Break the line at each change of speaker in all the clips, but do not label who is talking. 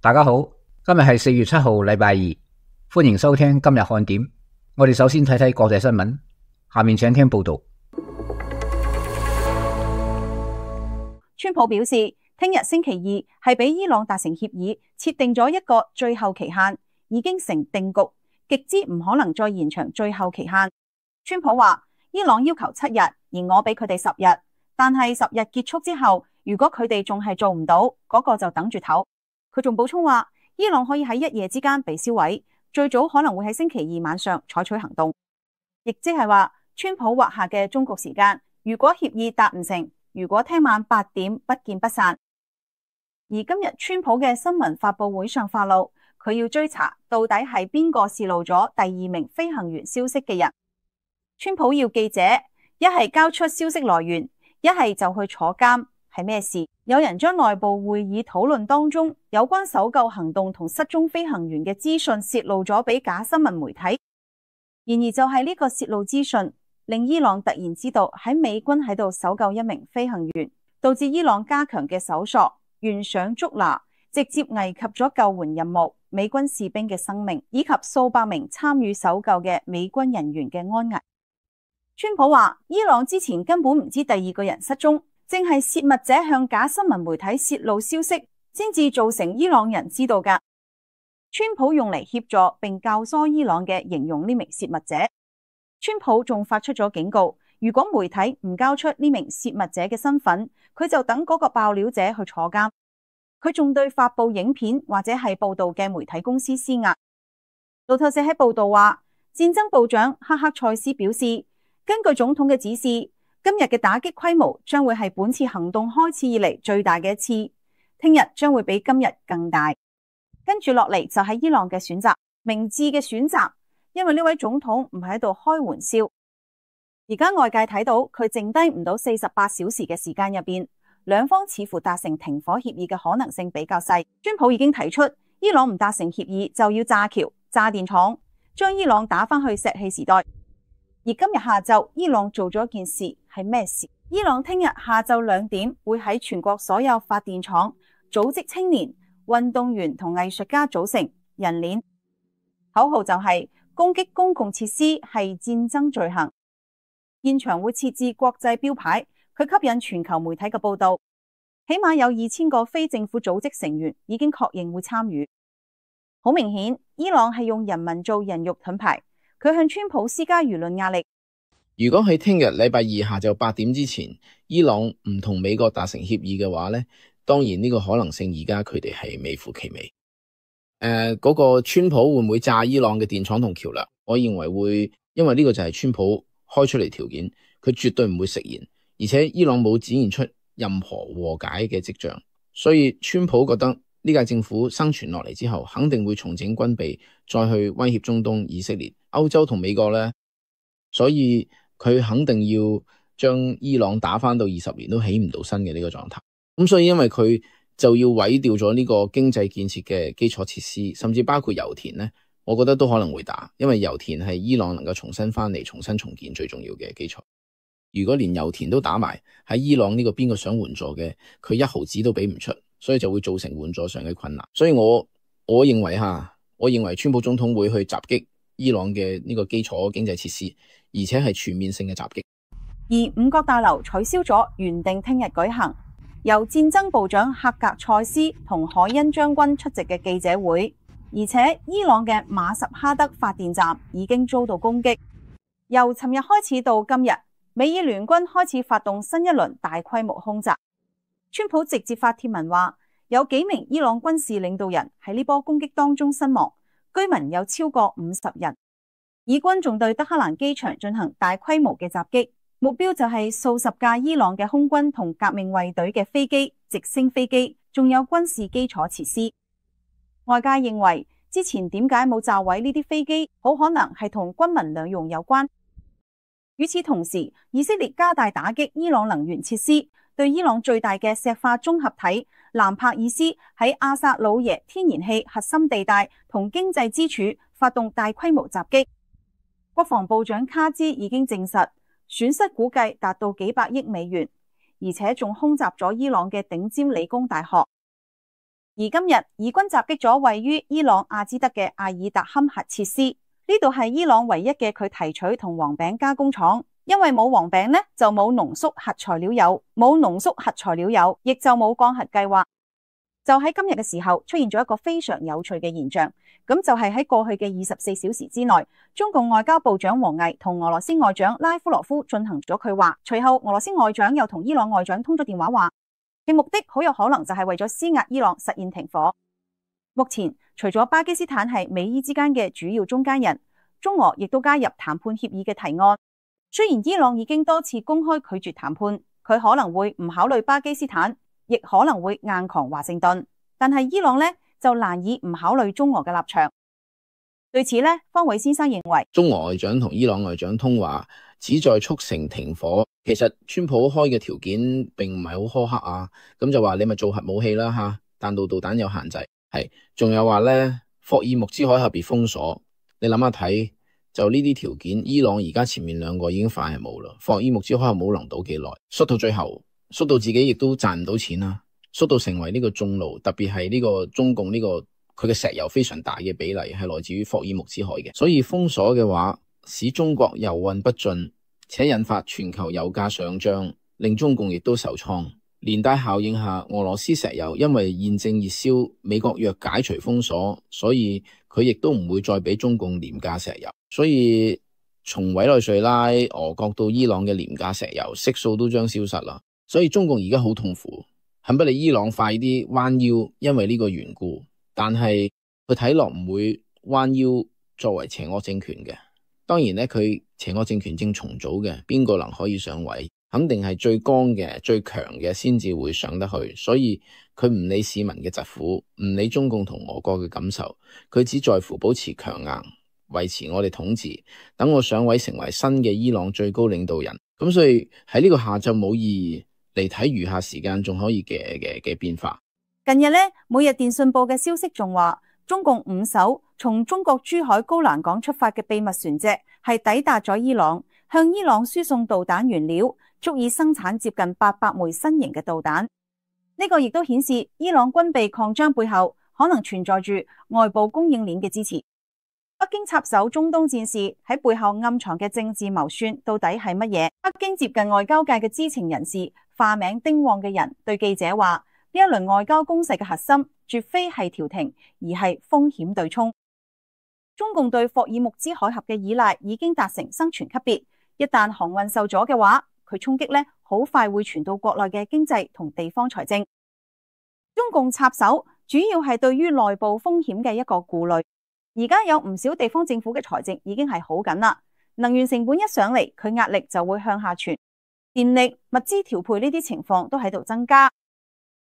大家好，今日係4月7號，禮拜二，歡迎收聽今日看點。我哋首先睇睇國際新聞，下面請聽報道。
川普表示，聽日星期二係俾伊朗達成協議，設定咗一個最後期限，已經成定局，極之唔可能再延長最後期限。川普話，伊朗要求7日，而我俾佢哋10日，但係10日結束之後，如果佢哋仲係做唔到，嗰個就等住唞。佢仲補充話，伊朗可以喺一夜之間被銷毀，最早可能會喺星期二晚上採取行動，亦即係話川普劃下嘅終局時間。如果協議達唔成，如果聽晚8點不見不散。而今日川普嘅新聞發佈會上發露，佢要追查到底係邊個洩露咗第2名飛行員消息嘅人。川普要記者一係交出消息來源，一係就去坐監。係咩事？有人將內部會議討論當中有關搜救行動同失蹤飛行員嘅資訊洩露咗俾假新聞媒體。然而就係呢個洩露資訊，令伊朗突然知道喺美軍喺度搜救一名飛行員，導致伊朗加強嘅搜索，懸賞捉拿，直接危及咗救援任務、美軍士兵嘅生命，以及數百名參與搜救嘅美軍人員嘅安危。川普話，伊朗之前根本唔知第2個人失蹤，正係洩密者向假新聞媒體洩露消息，先至造成伊朗人知道㗎。川普用嚟協助並教唆伊朗嘅形容呢名洩密者。川普仲發出咗警告，如果媒體唔交出呢名洩密者嘅身份，佢就等嗰個爆料者去坐監。佢仲對發佈影片或者係報道嘅媒體公司施壓。路透社喺報道話，戰爭部長哈克塞斯表示，根據總統嘅指示，今日嘅打擊規模將會係本次行動開始以嚟最大嘅一次，聽日將會比今日更大。跟住落嚟就係伊朗嘅選擇，明智嘅選擇，因為呢位總統唔係喺度開玩笑。而家外界睇到佢剩低唔到48小時嘅時間入邊，兩方似乎達成停火協議嘅可能性比較細。川普已經提出，伊朗唔達成協議就要炸橋、炸電廠，將伊朗打返去石器時代。而今日下晝，伊朗做咗一件事，係咩事？伊朗聽日下晝2點會喺全國所有發電廠組織青年、運動員同藝術家組成人鏈，口號就係攻擊公共設施係戰爭罪行。現場會設置國際標牌，去吸引全球媒體嘅報道。起碼有2000個非政府組織成員已經確認會參與。好明顯，伊朗係用人民做人肉盾牌。佢向川普施加輿論壓力。
如果喺聽日禮拜二下晝8點之前，伊朗唔同美國達成協議嘅話呢，當然呢個可能性而家佢哋係微乎其微。嗰個川普會唔會炸伊朗嘅電廠同橋樑？我認為會，因為呢個就係川普開出嚟條件，佢絕對唔會食言，而且伊朗冇展現出任何和解嘅跡象，所以川普覺得呢屆政府生存落嚟之後，肯定會重整軍備，再去威脅中東、以色列、歐洲同美國呢，所以佢肯定要將伊朗打返到20年都起唔到身嘅呢個狀態。咁所以因為佢就要毀掉咗呢個經濟建設嘅基礎設施，甚至包括油田呢，我覺得都可能會打，因為油田係伊朗能夠重新返嚟、重新重建最重要嘅基礎。如果連油田都打埋，喺伊朗呢個邊個想援助嘅，佢1毫子都俾唔出，所以就會造成援助上嘅困難。所以我認為川普總統會去襲擊伊朗嘅呢個基礎經濟設施，而且係全面性嘅襲擊。
而5角大樓取消咗原定聽日舉行，由戰爭部長赫格塞斯同海恩將軍出席嘅記者會，而且伊朗嘅馬什哈德發電站已經遭到攻擊。由尋日開始到今日，美伊聯軍開始發動新一輪大規模空襲。川普直接發帖文話，有幾名伊朗軍事領導人喺呢波攻擊當中身亡，居民有超過50人。以軍仲對德黑蘭機場進行大規模嘅襲擊，目標就係數十架伊朗嘅空軍同革命衛隊嘅飛機、直升飛機，仲有軍事基礎設施。外界認為之前點解冇炸毀呢啲飛機，好可能係同軍民兩用有關。與此同時，以色列加大打擊伊朗能源設施，對伊朗最大嘅石化綜合體蘭帕爾斯喺阿薩魯耶天然氣核心地帶同經濟支柱發動大規模襲擊。國防部長卡茲已經證實，損失估計達到幾百億美元，而且仲空襲咗伊朗嘅頂尖理工大學。而今日以軍襲擊咗位於伊朗阿茲德嘅阿爾達坎核設施，呢度係伊朗唯一嘅佢提取同黃餅加工廠。因為冇黃餅呢，就冇濃縮核材料油，冇濃縮核材料油，亦就冇降核計劃。就喺今日嘅時候，出現咗一個非常有趣嘅現象，咁就係喺過去嘅24小時之內，中共外交部長王毅同俄羅斯外長拉夫羅夫進行咗佢話，隨後俄羅斯外長又同伊朗外長通咗電話話，嘅目的好有可能就係為咗施壓伊朗實現停火。目前除咗巴基斯坦係美伊之間嘅主要中間人，中俄亦都加入談判協議嘅提案。雖然伊朗已經多次公開拒絕談判，佢可能會唔考慮巴基斯坦，亦可能會硬扛華盛頓，但係伊朗呢就難以唔考慮中俄嘅立場。對此呢，方偉先生認為，
中俄外長同伊朗外長通話旨在促成停火。其實川普開嘅條件並唔係好苛刻啊，咁就話你咪做核武器啦吓，彈道導彈有限制，係仲有話呢，霍爾木茲海峽被封鎖，你諗下睇。就呢啲條件，伊朗而家前面兩個已經快係冇啦，霍爾木茲海峽冇能到幾耐，縮到最後，縮到自己亦都賺唔到錢啦，縮到成為呢個中路，特別係呢個中共呢個佢嘅石油非常大嘅比例係來自於霍爾木茲海嘅，所以封鎖嘅話，使中國油運不進，且引發全球油價上漲，令中共亦都受創。連帶效應下，俄羅斯石油因為現正熱銷，美國若解除封鎖，所以佢亦都唔會再俾中共廉價石油。所以從委內瑞拉、俄國到伊朗嘅廉價石油悉數都將消失啦。所以中共而家好痛苦，恨不得伊朗快啲彎腰，因為呢個緣故。但係佢睇落唔會彎腰作為邪惡政權嘅。當然呢，佢邪惡政權正重組嘅，邊個能可以上位？肯定係最剛嘅、最強嘅先至會上得去，所以佢唔理市民嘅疾苦，唔理中共同俄國嘅感受，佢只在乎保持強硬，維持我哋統治，等我上位成為新嘅伊朗最高領導人。咁所以喺呢個下晝冇意義嚟睇餘下時間仲可以嘅變化。
近日呢，每日電訊報嘅消息仲話，中共5艘從中國珠海高欄港出發嘅秘密船隻係抵達咗伊朗，向伊朗輸送導彈原料，足以生產接近800枚新型嘅導彈。呢個亦都顯示伊朗軍備擴張背後可能存在住外部供應鏈嘅支持。北京插手中東戰事喺背後暗藏嘅政治謀算到底係乜嘢？北京接近外交界嘅知情人士化名丁旺嘅人對記者話，呢一輪外交攻勢嘅核心絕非係調停，而係風險對沖。中共對霍爾木茲海峽嘅依賴已經達成生存級別，一旦航運受阻嘅話，佢衝擊咧，好快會傳到國內嘅經濟同地方財政。中共插手主要係對於內部風險嘅一個顧慮。而家有唔少地方政府嘅財政已經係好緊啦，能源成本一上嚟，佢壓力就會向下傳，電力、物資調配呢啲情況都喺度增加。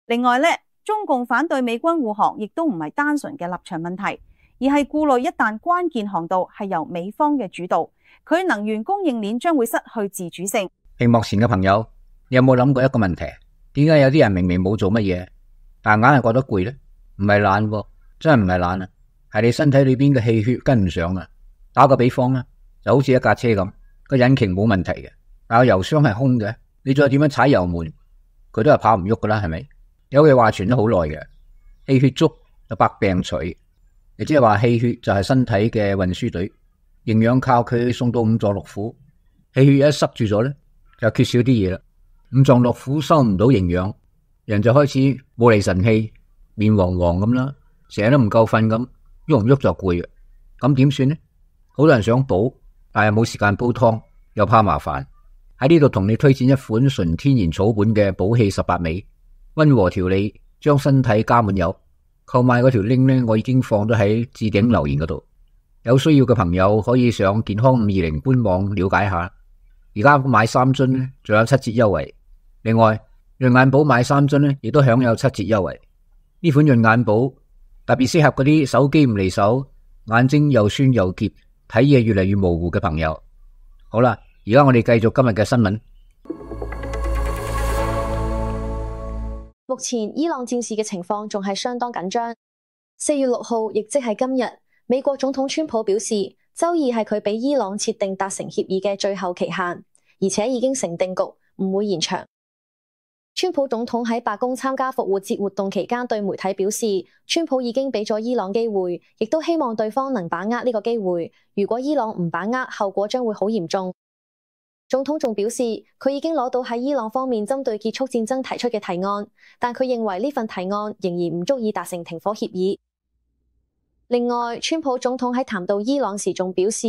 另外咧，中共反對美軍護航，亦都唔係單純嘅立場問題，而係顧慮一旦關鍵航道係由美方嘅主導，佢能源供應鏈將會失去自主性。
屏幕前嘅朋友，你有冇諗過一個問題？點解有啲人明明冇做乜嘢，但硬係覺得攰呢？唔係懶喎，真係唔係懶啊，係你身體裏邊嘅氣血跟唔上啊。打個比方啦，就好似一架車咁，個引擎冇問題嘅，但係油箱係空嘅，你再點樣踩油門，佢都係跑唔喐噶啦，係咪？有句話傳咗好耐嘅，氣血足就百病除，亦即係話氣血就係身體嘅運輸隊，營養靠佢送到五臟六腑，氣血一塞住咗咧，就缺少啲嘢啦，五臟六腑收唔到營養，人就開始冇厘神氣，面黃黃咁啦，成日都唔夠瞓咁，喐唔喐就攰嘅，咁點算呢？好多人想補，但係冇時間煲湯，又怕麻煩。喺呢度同你推薦一款純天然草本嘅補氣18味，溫和調理，將身體加滿油。購買嗰條 link 呢，我已經放咗喺置頂留言嗰度，有需要嘅朋友可以上健康520官網了解下。而家買3樽呢，仲有7折優惠。另外，潤眼寶買3樽呢，亦都享有7折優惠。呢款潤眼寶特別適合嗰啲手機唔離手、眼睛又酸又澀、睇嘢越嚟越模糊嘅朋友。好啦，而家我哋繼續今日嘅新聞。
目前伊朗戰事嘅情況仲係相當緊張。4月6號，亦即係今日，美國總統川普表示，周二係佢俾伊朗設定達成協議嘅最後期限，而且已經成定局，唔會延長。川普總統喺白宮參加復活節活動期間對媒體表示，川普已經俾咗伊朗機會，亦都希望對方能把握呢個機會。如果伊朗唔把握，後果將會好嚴重。總統仲表示，佢已經攞到喺伊朗方面針對結束戰爭提出嘅提案，但佢認為呢份提案仍然唔足以達成停火協議。另外，川普總統喺談到伊朗時仲表示，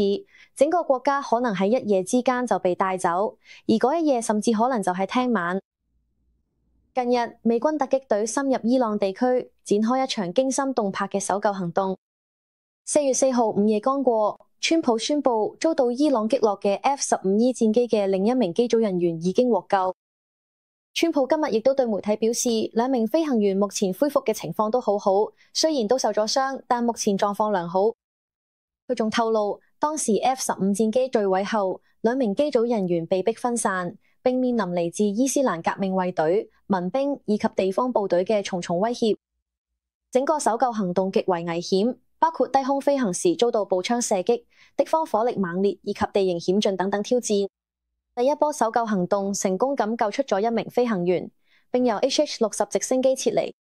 整個國家可能喺一夜之間就被帶走，而嗰一夜甚至可能就係聽晚。近日，美軍突擊隊深入伊朗地區，展開一場驚心動魄嘅搜救行動。4月4號午夜剛過，川普宣布遭到伊朗擊落嘅 F-15E 戰機嘅另一名機組人員已經獲救。川普今日亦都對媒體表示，兩名飛行員目前恢復嘅情況都好好，雖然都受咗傷，但目前狀況良好。佢仲透露，當時 F-15 戰機墜毀後，兩名機組人員被迫分散，並面臨嚟自伊斯蘭革命衛隊、民兵以及地方部隊嘅重重威脅。整個搜救行動極為危險，包括低空飛行時遭到步槍射擊、敵方火力猛烈以及地形險峻等等挑戰。第一波搜救行動成功咁救出咗一名飛行員，並由 HH-60 直升機撤離。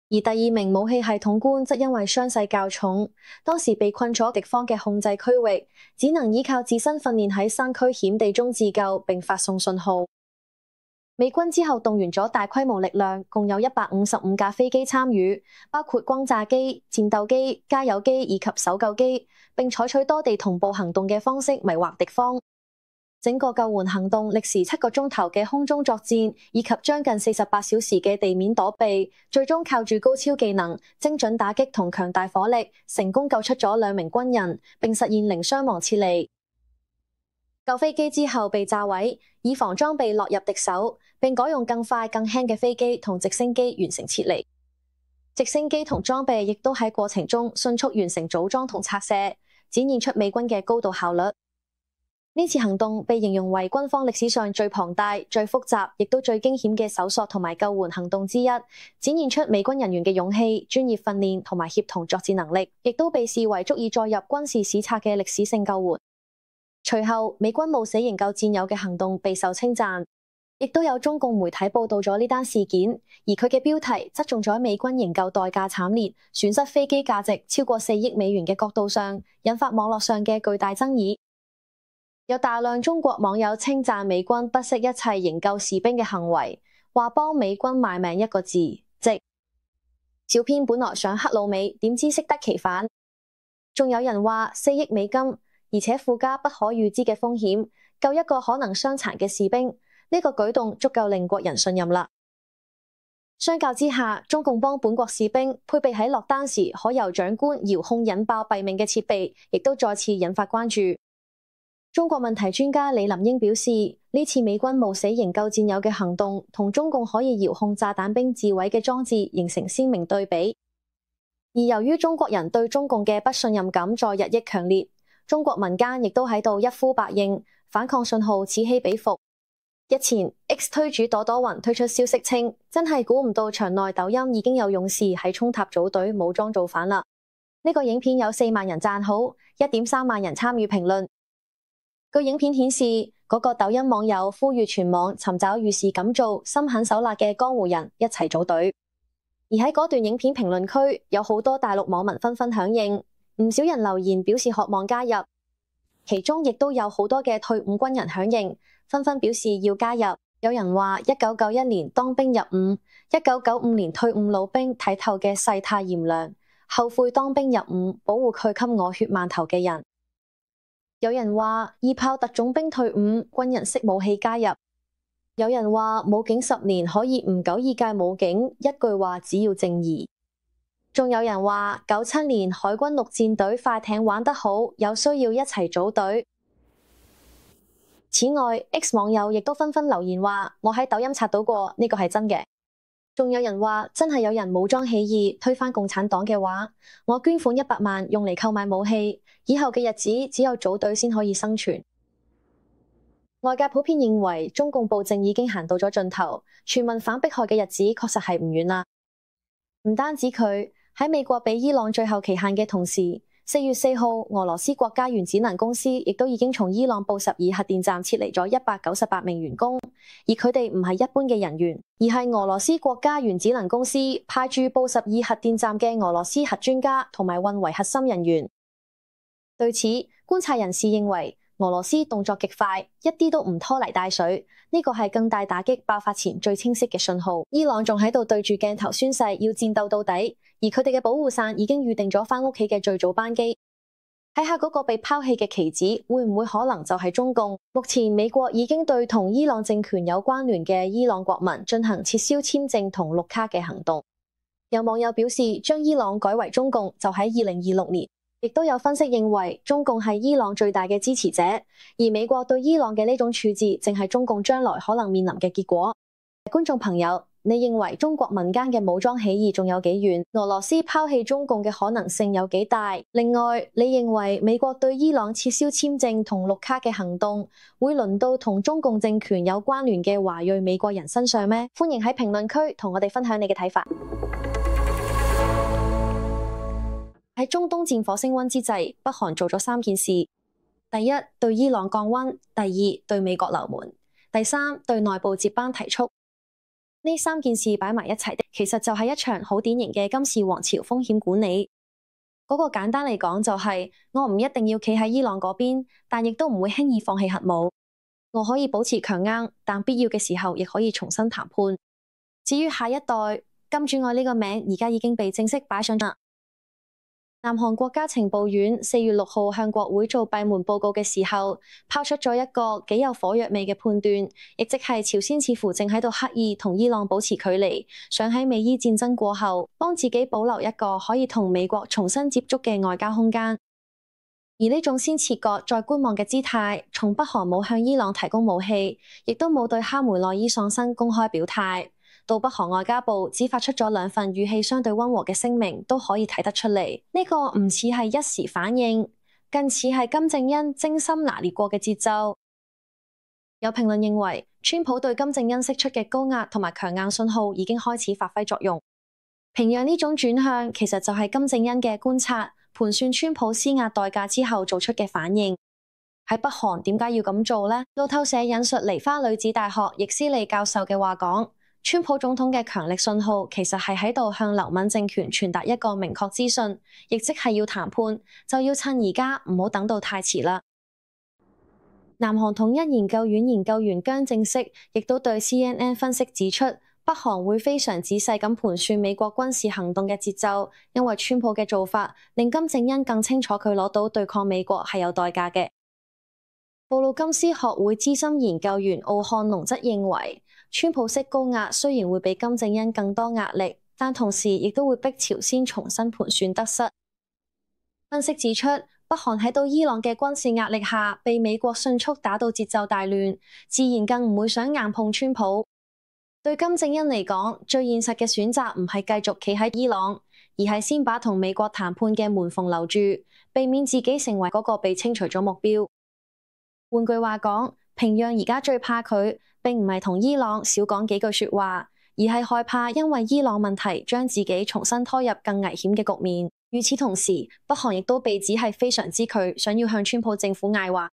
而第二名武器系統官則因為傷勢較重，當時被困咗敵方嘅控制區域，只能依靠自身訓練喺山區險地中自救並發送信號。美軍之後動員咗大規模力量，共有155架飛機參與，包括轟炸機、戰鬥機、加油機以及搜救機，並採取多地同步行動嘅方式迷惑敵方。整個救援行動歷時7個鐘頭嘅空中作戰，以及將近48小時嘅地面躲避，最終靠住高超技能、精準打擊同強大火力，成功救出咗2名軍人，並實現零傷亡撤離。救飛機之後被炸毀，以防裝備落入敵手，並改用更快更輕嘅飛機同直升機完成撤離。直升機同裝備亦都喺過程中迅速完成組裝同拆卸，展現出美軍嘅高度效率。呢次行動被形容為軍方歷史上最龐大、最複雜，亦都最驚險嘅搜索同埋救援行動之一，展現出美軍人員嘅勇氣、專業訓練同埋協同作戰能力，亦都被視為足以載入軍事史冊嘅歷史性救援。隨後，美軍冒死營救戰友嘅行動備受稱讚，亦都有中共媒體報道咗呢單事件，而佢嘅標題側重咗美軍營救代價慘烈、損失飛機價值超過4億美元嘅角度上，引發網絡上嘅巨大爭議。有大量中國網友稱讚美軍不惜一切營救士兵嘅行為，話幫美軍賣命一個字，值。小編本來想黑老美，點知適得其反。仲有人話4億美金，而且附加不可預知嘅風險，救一個可能傷殘嘅士兵，呢個舉動足夠令國人信任啦。相較之下，中共幫本國士兵配備喺落單時可由長官遙控引爆斃命嘅設備，亦都再次引發關注。中國問題專家李林英表示，呢次美軍冒死營救戰友嘅行動，同中共可以遙控炸彈兵自毀嘅裝置形成鮮明對比。而由於中國人對中共嘅不信任感在日益強烈，中國民間亦都喺度一呼百應，反抗信號此起彼伏。日前 X 推主朵朵雲推出消息稱，真係估唔到場內抖音已經有勇士喺衝塔組隊武裝造反啦。呢個影片有4萬人讚好，1.3萬人參與評論。據影片顯示，嗰個抖音網友呼籲全網尋找遇事敢做、心狠手辣嘅江湖人一齊組隊。而喺嗰段影片評論區，有好多大陸網民紛紛響應，唔少人留言表示渴望加入，其中亦都有好多嘅退伍軍人響應，紛紛表示要加入。有人話1991年當兵入伍，1995年退伍老兵睇透嘅世態炎涼，後悔當兵入伍，保護佢給我血饅頭嘅人。有人話二炮特種兵退伍，軍人識武器加入。有人話武警10年可以唔久二屆武警，一句話只要正義。仲有人話97年海軍陸戰隊快艇玩得好，有需要一齊組隊。此外 ，X 網友亦都紛紛留言話我喺抖音刷到過，呢個係真嘅。仲有人話真係有人武裝起義推翻共產黨嘅話，我捐款100萬用嚟購買武器，以後嘅日子只有組隊先可以生存。外界普遍認為中共暴政已經行到咗盡頭，全民反迫害嘅日子確實係唔遠啦。唔單止佢喺美國俾伊朗最後期限嘅同時，4月4號俄羅斯國家原子能公司亦都已經從伊朗布什爾核電站撤離咗198名員工，而佢哋唔係一般嘅人員，而係俄羅斯國家原子能公司派駐布什爾核電站嘅俄羅斯核專家同埋運維核心人員。對此，觀察人士認為俄羅斯動作極快，一啲都唔拖泥帶水，呢個係更大打擊爆發前最清晰嘅信號。伊朗仲喺度對住鏡頭宣誓要戰鬥到底，而佢哋嘅保護傘已經預定咗返屋企嘅最早班機。睇下嗰個被拋棄嘅棋子，會唔會可能就係中共？目前美國已經對同伊朗政權有關聯嘅伊朗國民進行撤銷簽證同綠卡嘅行動。有網友表示，將伊朗改為中共就喺2026年。亦都有分析認為，中共係伊朗最大嘅支持者，而美國對伊朗嘅呢種處置，正係中共將來可能面臨嘅結果。觀眾朋友，你認為中國民間嘅武裝起義仲有幾遠？俄羅斯拋棄中共嘅可能性有幾大？另外，你認為美國對伊朗撤銷簽證同綠卡嘅行動，會輪到同中共政權有關聯嘅華裔美國人身上咩？歡迎喺評論區同我哋分享你嘅睇法。喺中東戰火升溫之際，北韓做咗3件事：第一，對伊朗降溫；第二，對美國留門；第三，對內部接班提速。呢3件事擺埋一齊的，其實就係一場好典型嘅金氏王朝風險管理。嗰個簡單嚟講就係，我唔一定要企喺伊朗嗰邊，但亦都唔會輕易放棄核武。我可以保持強硬，但必要嘅時候亦可以重新談判。至於下一代，金主愛呢個名而家已經被正式擺上啦。南韓國家情報院4月6號向國會做閉門報告嘅時候，拋出咗一個幾有火藥味嘅判斷，亦即係朝鮮似乎正喺度刻意同伊朗保持距離，想喺美伊戰爭過後，幫自己保留一個可以同美國重新接觸嘅外交空間。而呢種先切割再觀望嘅姿態，從北韓冇向伊朗提供武器，亦都冇對哈梅內伊喪生公開表態，到北韓外交部只發出咗2份語氣相對溫和嘅聲明，都可以睇得出嚟。呢個唔似係一時反應，更似係金正恩精心拿捏過嘅節奏。有評論認為，川普對金正恩釋出嘅高壓同埋強硬信號已經開始發揮作用。平壤呢種轉向，其實就係金正恩嘅觀察、盤算川普施壓代價之後做出嘅反應。喺北韓點解要咁做呢？路透社引述梨花女子大學易思利教授嘅話講，川普總統嘅強力信號其實係喺度向劉敏政權傳達一個明確資訊，亦即係要談判，就要趁而家，唔好等到太遲啦。南韓統一研究院研究員姜正式亦都對 CNN 分析指出，北韓會非常仔細咁盤算美國軍事行動嘅節奏，因為川普嘅做法令金正恩更清楚佢攞到對抗美國係有代價嘅。布魯金斯學會資深研究員奧漢龍則認為，川普式高壓雖然會俾金正恩更多壓力，但同時亦都會逼朝鮮重新盤算得失。分析指出，北韓喺到伊朗嘅軍事壓力下，被美國迅速打到節奏大亂，自然更唔會想硬碰川普。對金正恩嚟講，最現實嘅選擇唔係繼續企喺伊朗，而係先把同美國談判嘅門縫留住，避免自己成為嗰個被清除咗目標。換句話講，平壤而家最怕佢，並唔係同伊朗少講幾句說話，而係害怕因為伊朗問題將自己重新拖入更危險嘅局面。與此同時，北韓亦都被指係非常之拒，想要向川普政府嗌話。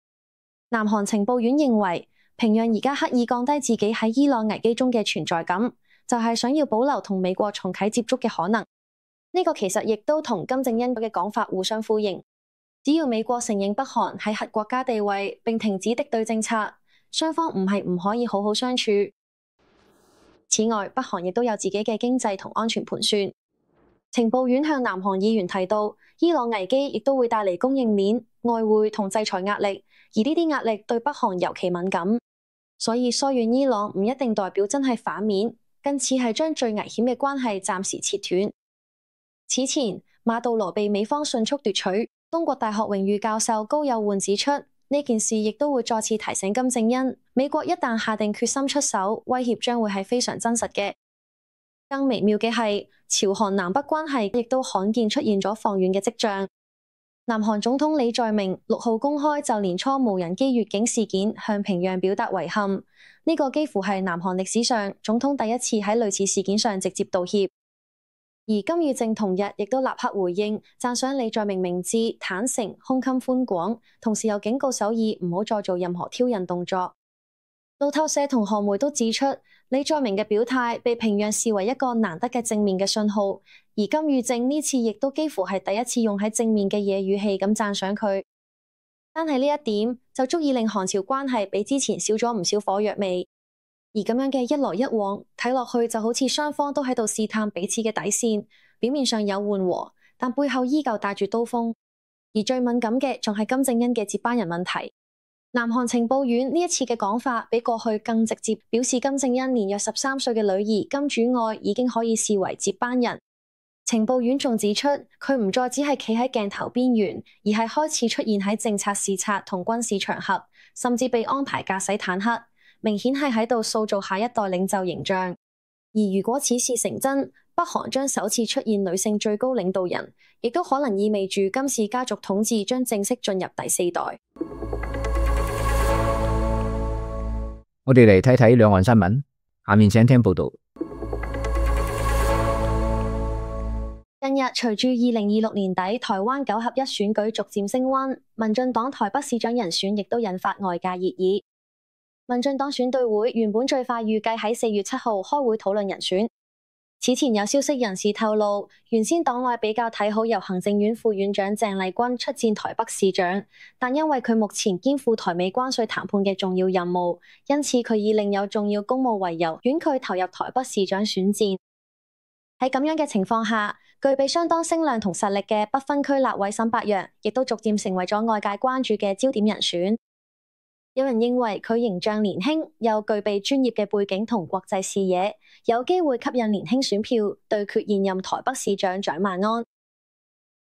南韓情報院認為，平壤而家刻意降低自己喺伊朗危機中嘅存在感，就係想要保留同美國重啟接觸嘅可能。呢個其實亦都同金正恩嘅講法互相呼應。只要美國承認北韓係核國家地位，並停止敵對政策，雙方唔係唔可以好好相處。此外，北韓亦都有自己嘅經濟同安全盤算。情報院向南韓議員提到，伊朗危機亦都會帶嚟供應鏈、外匯同制裁壓力，而呢啲壓力對北韓尤其敏感。所以疏遠伊朗唔一定代表真係反面，更似係將最危險嘅關係暫時切斷。此前，馬杜羅被美方迅速奪取。中國大學榮譽教授高友煥指出，呢件事亦都會再次提醒金正恩，美國一旦下定決心出手，威脅將會係非常真實嘅。更微妙嘅係，朝韓南北關係亦都罕見出現咗放軟嘅跡象。南韓總統李在明6號公開就年初無人機越境事件向平壤表達遺憾，呢個幾乎係南韓歷史上總統第一次喺類似事件上直接道歉。而金與正同日亦都立刻回應，讚賞李在明明智、坦誠、胸襟寬廣，同時又警告首爾唔好再做任何挑釁動作。路透社同韓媒都指出，李在明嘅表態被平壤視為一個難得嘅正面嘅信號，而金與正呢次亦都幾乎係第一次用喺正面嘅嘢語氣咁讚賞佢。單係呢一點就足以令韓朝關係比之前少咗唔少火藥味。而咁樣嘅一來一往，睇落去就好似雙方都喺度試探彼此嘅底線，表面上有緩和，但背後依舊帶住刀鋒。而最敏感嘅仲係金正恩嘅接班人問題。南韓情報院呢一次嘅講法比過去更直接，表示金正恩年約13歲嘅女兒金主愛已經可以視為接班人。情報院仲指出，佢唔再只係企喺鏡頭邊緣，而係開始出現喺政策視察同軍事場合，甚至被安排駕駛坦克，明顯係喺度塑造下一代領袖形象。而如果此事成真，北韓將首次出現女性最高領導人，亦都可能意味住金氏家族統治將正式進入第4代。
我哋嚟睇睇兩岸新聞，下面請聽報道。
近日隨住2026年底台灣9合1選舉逐漸升溫，民進黨台北市長人選亦都引發外界熱議。民進黨選對會原本最快預計喺4月7號開會討論人選。此前有消息人士透露，原先黨內比較睇好由行政院副院長鄭麗君出戰台北市長，但因為佢目前肩負台美關稅談判嘅重要任務，因此佢以另有重要公務為由，婉拒投入台北市長選戰。喺咁樣嘅情況下，具備相當聲量同實力嘅不分區立委沈伯洋，亦都逐漸成為咗外界關注嘅焦點人選。有人認為佢形象年輕，又具備專業嘅背景同國際視野，有機會吸引年輕選票，對決現任台北市長蔣萬安。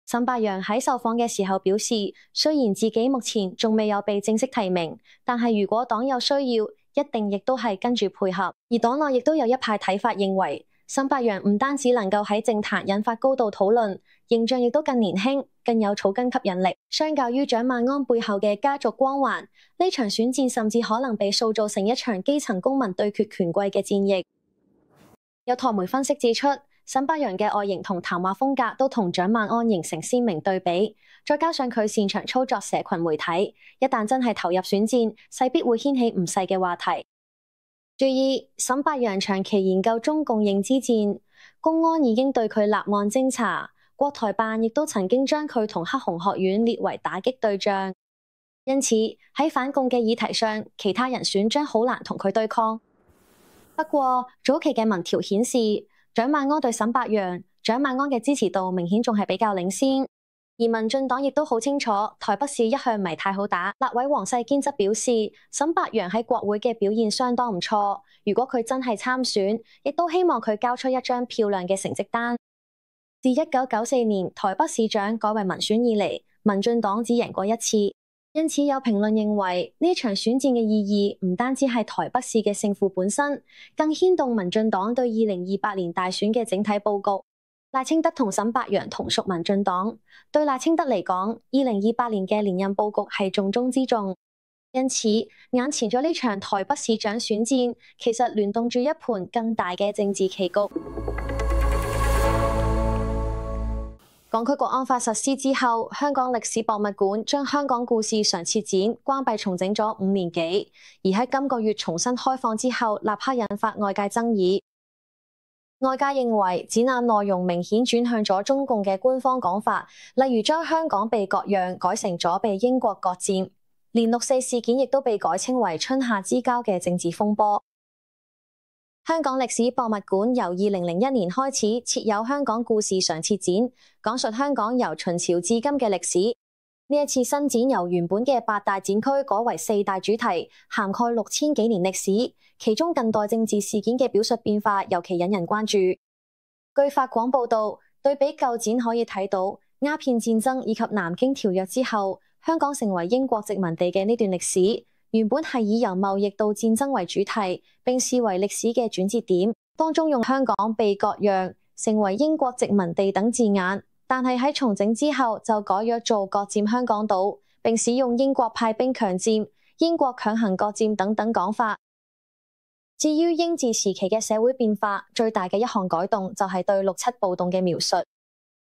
沈伯洋喺受訪嘅時候表示，雖然自己目前仲未有被正式提名，但係如果黨有需要，一定亦都係跟住配合。而黨內亦都有一派睇法認為，沈伯洋唔單止能夠喺政壇引發高度討論，形象亦都更年輕，更有草根吸引力。相較於蔣萬安背後嘅家族光環，呢場選戰甚至可能被塑造成一場基層公民對決權貴嘅戰役。有台媒分析指出，沈伯洋嘅外形同談話風格都同蔣萬安形成鮮明對比，再加上佢擅長操作社群媒體，一旦真係投入選戰，勢必會掀起唔細嘅話題。注意，沈伯洋長期研究中共認知戰，公安已經對佢立案偵查，國台辦亦都曾經將佢同黑熊學院列為打擊對象，因此喺反共嘅議題上，其他人選將好難同佢對抗。不過早期嘅民調顯示，蔣萬安對沈伯洋，蔣萬安嘅支持度明顯仲係比較領先。而民進黨亦都好清楚，台北市一向唔係太好打。立委黃世堅則表示，沈伯洋喺國會嘅表現相當唔錯，如果佢真係參選，亦都希望佢交出一張漂亮嘅成績單。自1994年台北市長改為民選以嚟，民進黨只贏過一次，因此有評論認為呢場選戰嘅意義唔單止係台北市嘅勝負本身，更牽動民進黨對2028年大選嘅整體佈局。賴清德同沈伯洋同屬民進黨，對賴清德嚟講，2028年嘅連任佈局係重中之重。因此，眼前咗呢場台北市長選戰，其實聯動住一盤更大嘅政治棋局。港區國安法實施之後，香港歷史博物館將香港故事常設展關閉重整咗5年幾，而喺今個月重新開放之後，立刻引發外界爭議。外界認為展覽內容明顯轉向咗中共嘅官方講法，例如將香港被割讓改成咗被英國割佔，連6·4事件亦都被改稱為春夏之交嘅政治風波。香港歷史博物館由2001年開始設有香港故事常設展，講述香港由秦朝至今嘅歷史。呢一次新展由原本嘅8大展區改為4大主題，涵蓋6000幾年歷史。其中近代政治事件嘅表述變化尤其引人關注。據法廣報道，對比舊展可以睇到鴉片戰爭以及南京條約之後，香港成為英國殖民地嘅呢段歷史，原本係以由貿易到戰爭為主題，並視為歷史嘅轉折點。當中用香港被割讓成為英國殖民地等字眼，但係喺重整之後就改約做割佔香港島，並使用英國派兵強佔、英國強行割佔等等講法。至於英治時期嘅社會變化，最大嘅一項改動就係對6·7暴動嘅描述。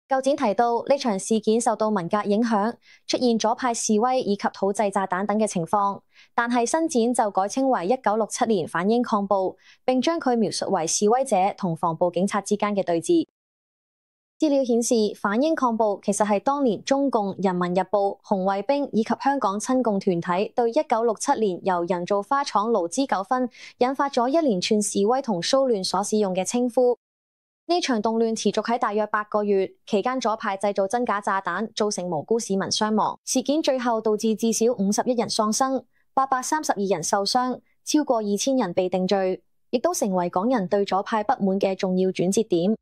舊展提到呢場事件受到文革影響，出現左派示威以及土製炸彈等嘅情況，但係新展就改稱為1967年反英抗暴，並將佢描述為示威者同防暴警察之間嘅對峙。資料顯示，反英抗暴其實係當年中共、人民日報、紅衛兵以及香港親共團體對1967年由人造花廠勞資糾紛引發咗一連串示威同騷亂所使用嘅稱呼。呢場動亂持續喺大約8個月，期間左派製造真假炸彈，造成無辜市民傷亡。事件最後導致至少51人喪生，832人受傷，超過2000人被定罪，亦都成為港人對左派不滿嘅重要轉折點。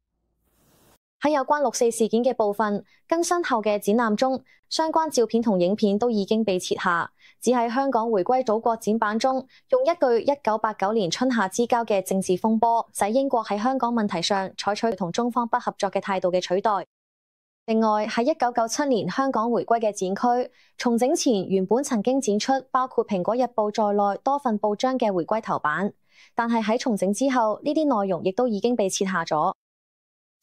喺有關6·4事件嘅部分，更新後嘅展覽中，相關照片同影片都已經被撤下，只喺香港回歸祖國展板中，用一句1989年春夏之交嘅政治風波，使英國喺香港問題上採取同中方不合作嘅態度嘅取代。另外，喺1997年香港回歸嘅展區，重整前原本曾經展出包括《蘋果日報》在內多份報章嘅回歸頭版，但係喺重整之後，呢啲內容亦都已經被撤下咗。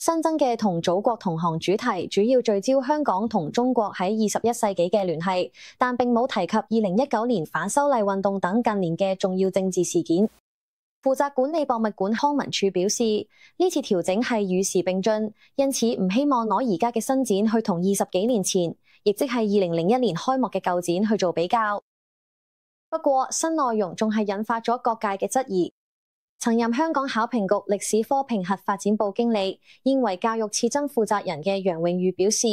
新增嘅同祖國同行主題主要聚焦香港同中國喺21世紀嘅聯繫，但並冇提及2019年反修例運動等近年嘅重要政治事件。負責管理博物館康文署表示，呢次調整係與時並進，因此唔希望攞而家嘅新展去同20幾年前，亦即係2001年開幕嘅舊展去做比較。不過，新內容仲係引發咗各界嘅質疑。曾任香港考評局歷史科評核發展部經理、現為教育次真負責人嘅楊永宇表示，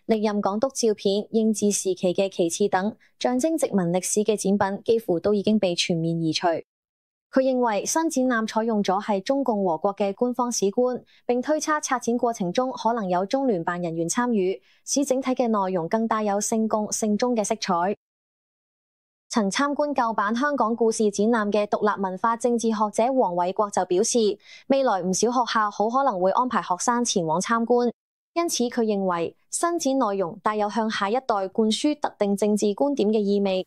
歷任港督照片、英治時期嘅旗幟等象徵殖民歷史嘅展品，幾乎都已經被全面移除。佢認為新展覽採用咗係中共和國嘅官方史觀，並推測策展過程中可能有中聯辦人員參與，使整體嘅內容更帶有聖共聖中嘅色彩。曾參觀舊版香港故事展覽嘅獨立文化政治學者黃偉國就表示，未來唔少學校好可能會安排學生前往參觀，因此佢認為新展內容帶有向下一代灌輸特定政治觀點嘅意味。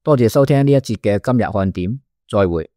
多謝收聽呢一節嘅今日看點，再會。